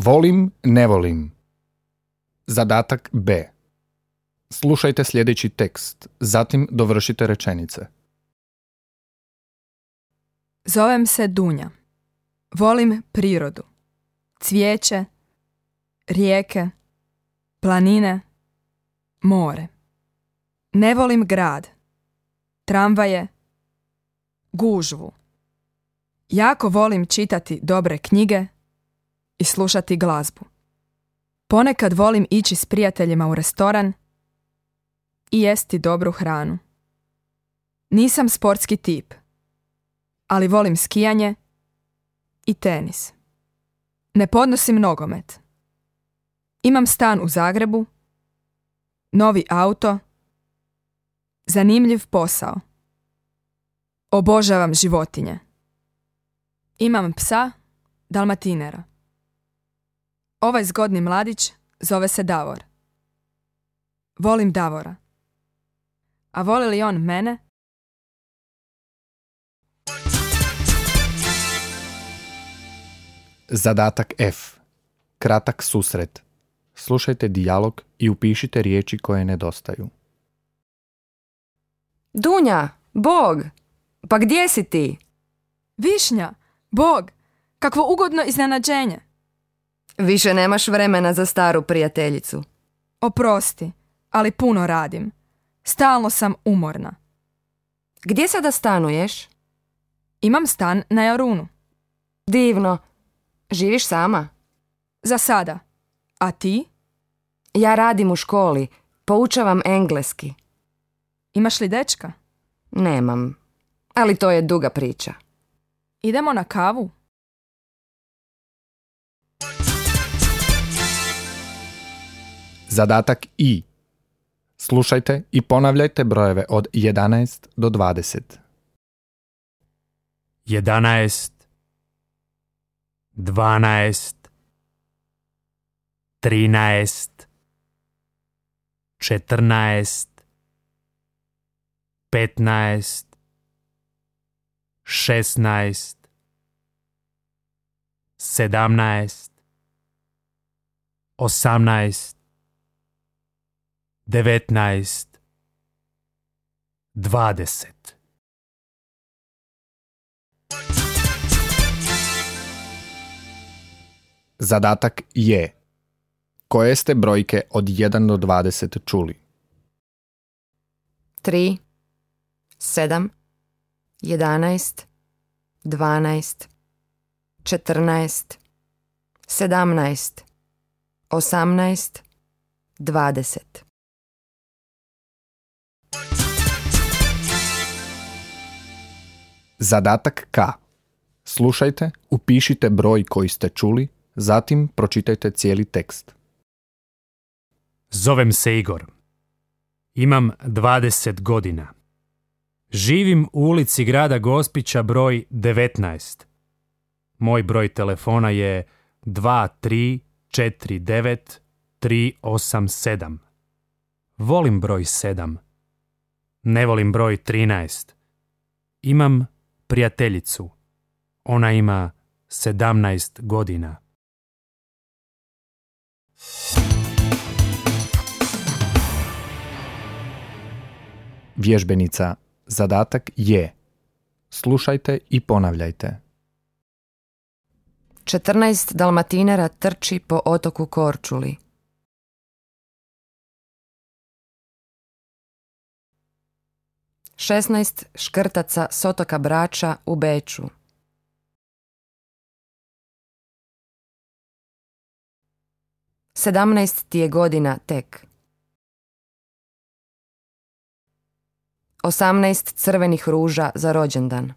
Volim, ne volim. Zadatak B. Slušajte sljedeći tekst, zatim dovršite rečenice. Zovem se Dunja. Volim prirodu. Cvijeće, rijeke, planine, more. Ne volim grad, tramvaje, gužvu. Jako volim čitati dobre knjige i slušati glazbu. Ponekad volim ići s prijateljima u restoran i jesti dobru hranu. Nisam sportski tip, ali volim skijanje i tenis. Ne podnosim nogomet. Imam stan u Zagrebu, novi auto, zanimljiv posao. Obožavam životinje. Imam psa, dalmatinera. Ovaj zgodni mladić zove se Davor. Volim Davora. A voli li on mene? Zadatak F. Kratak susret. Slušajte dijalog i upišite riječi koje nedostaju. Dunja, Bog, pa gdje si ti? Višnja, Bog, kakvo ugodno iznenađenje. Više nemaš vremena za staru prijateljicu. Oprosti, ali puno radim. Stalno sam umorna. Gdje sada stanuješ? Imam stan na Jarunu. Divno. Živiš sama? Za sada. A ti? Ja radim u školi. Poučavam engleski. Imaš li dečka? Nemam. Ali to je duga priča. Idemo na kavu? Zadatak I. Slušajte i ponavljajte brojeve od 11 do 20. 11, 12, 13, 14, 15, 16, 17, 18, 19, 20. Zadatak je: koje ste brojke od 1 do 20 čuli? 3, 7, 11, 12, 14, 17, 18, 20. Zadatak K. Slušajte, upišite broj koji ste čuli, zatim pročitajte cijeli tekst. Zovem se Igor. Imam 20 godina. Živim u ulici grada Gospića broj 19. Moj broj telefona je 2349-387. Volim broj 7. Ne volim broj 13. Imam prijateljicu. Ona ima 17 godina. Vježbenica. Zadatak je: slušajte i ponavljajte. 14 dalmatinera trči po otoku Korčuli. 16 škrtaca s otoka Brača u Beču. 17 ti je godina tek. 18 crvenih ruža za rođendan.